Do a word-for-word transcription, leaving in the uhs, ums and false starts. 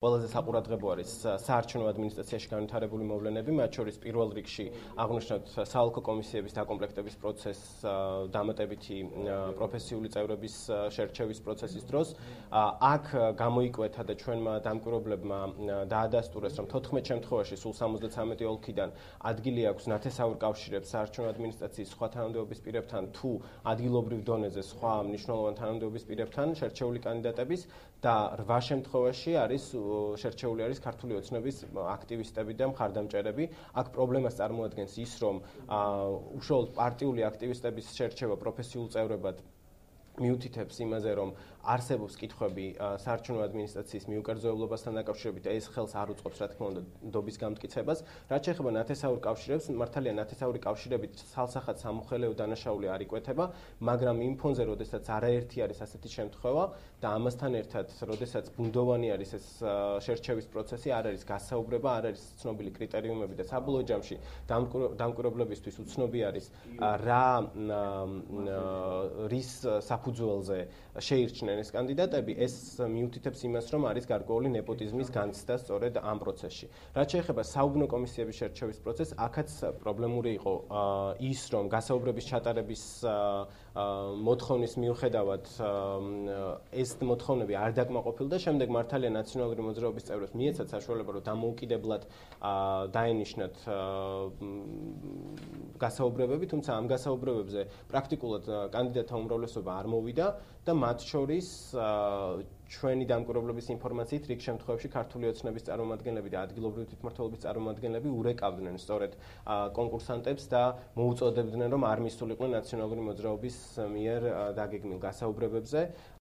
ყველაზე საყურადღებო არის საარჩევნო ადმინისტრაციაში განვითარებული მოვლენები, მათ შორის პირველ რიგში აღნიშნავთ საალკო კომისიების დაკომპლექტების პროცესს, დამატებითი პროფესიული წევრების შერჩევის პროცესის დროს. აქ გამოიკვეთა და ჩვენმა დამკვირვებლებმა დაადასტურეს, რომ თოთხმეტ შემთხვევაში სულ სამოცდათვრამეტი ოლქიდან ადგილი აქვს ნათესაურ კავშირებს საარჩევნო ადმინისტრაციის სხვა თანამდებობის პირებთან თუ ადგილობრივ დონეზე სხვა მნიშვნელოვან თანამდებობის პირებთან შერჩეული კანდიდატების და რვა შემთხვევაში არის შერჩეული არის ქართული ოცნების აქტივისტები და მხარდამჭერები. აქ პრობლემას წარმოადგენს ის, რომ უშუალოდ პარტიული აქტივისტების შერჩევა პროფესიულ წევრებად მიუთითებს იმაზე, რომ არსებობს კითხვები საარჩევნო ადმინისტრაციის მიუკერძოებლობასთან დაკავშირებით და ეს ხელს არ უწყობს, რა თქმა უნდა, ნდობის გამტკიცებას. რაც შეეხება ნათესაურ კავშირებს, მართალია ნათესაური კავშირებით ცალსახად სამოხელეო დანაშაული არ იკვეთება, მაგრამ იმ ფონზე, როდესაც არაერთი არის ასეთი შემთხვევა და ამასთან ერთად, როდესაც ბუნდოვანი არის ეს შერჩევის პროცესი, არ არის გასაუბრება, არ არის ცნობილი კრიტერიუმები და საბოლოო ჯამში დამკვირვებლებისთვის უცნობი არის რა რის საფუძველზე შეირჩნენ ეს კანდიდატები, ეს მიუთითებს იმას, რომ არის გარკვეული ნეპოტიზმის განცდა სწორედ ამ პროცესში. რაც შეეხება საუბნო კომისიების შერჩევის პროცესს, აქაც პრობლემური იყო ის, რომ გასაუბრების ჩატარების მოთხოვნის მიუხედავად ეს მოთხოვნები არ დაკმაყოფილდა, შემდეგ მართალია ნაციონალური მოძრაობის წევრებს მიეცათ საშუალება, რომ დამოუკიდებლად დაენიშნათ გასაუბრებები, თუმცა ამ გასაუბრებებზე პრაქტიკულად კანდიდატთა უმრავლესობა არ მოვიდა და მათ შორის ჩვენი დამკვირვებლების ინფორმაციით რიგ შემთხვევებში ქართული ოცნების წარმომადგენლები და ადგილობრივი თვითმმართველობის წარმომადგენლები ურეკავდნენ სწორედ კონკურსანტებს და მოუწოდებდნენ, რომ არ მისულიყვნენ ნაციონალური მოძრაობის მიერ დაგეგმილ გასაუბრებებზე.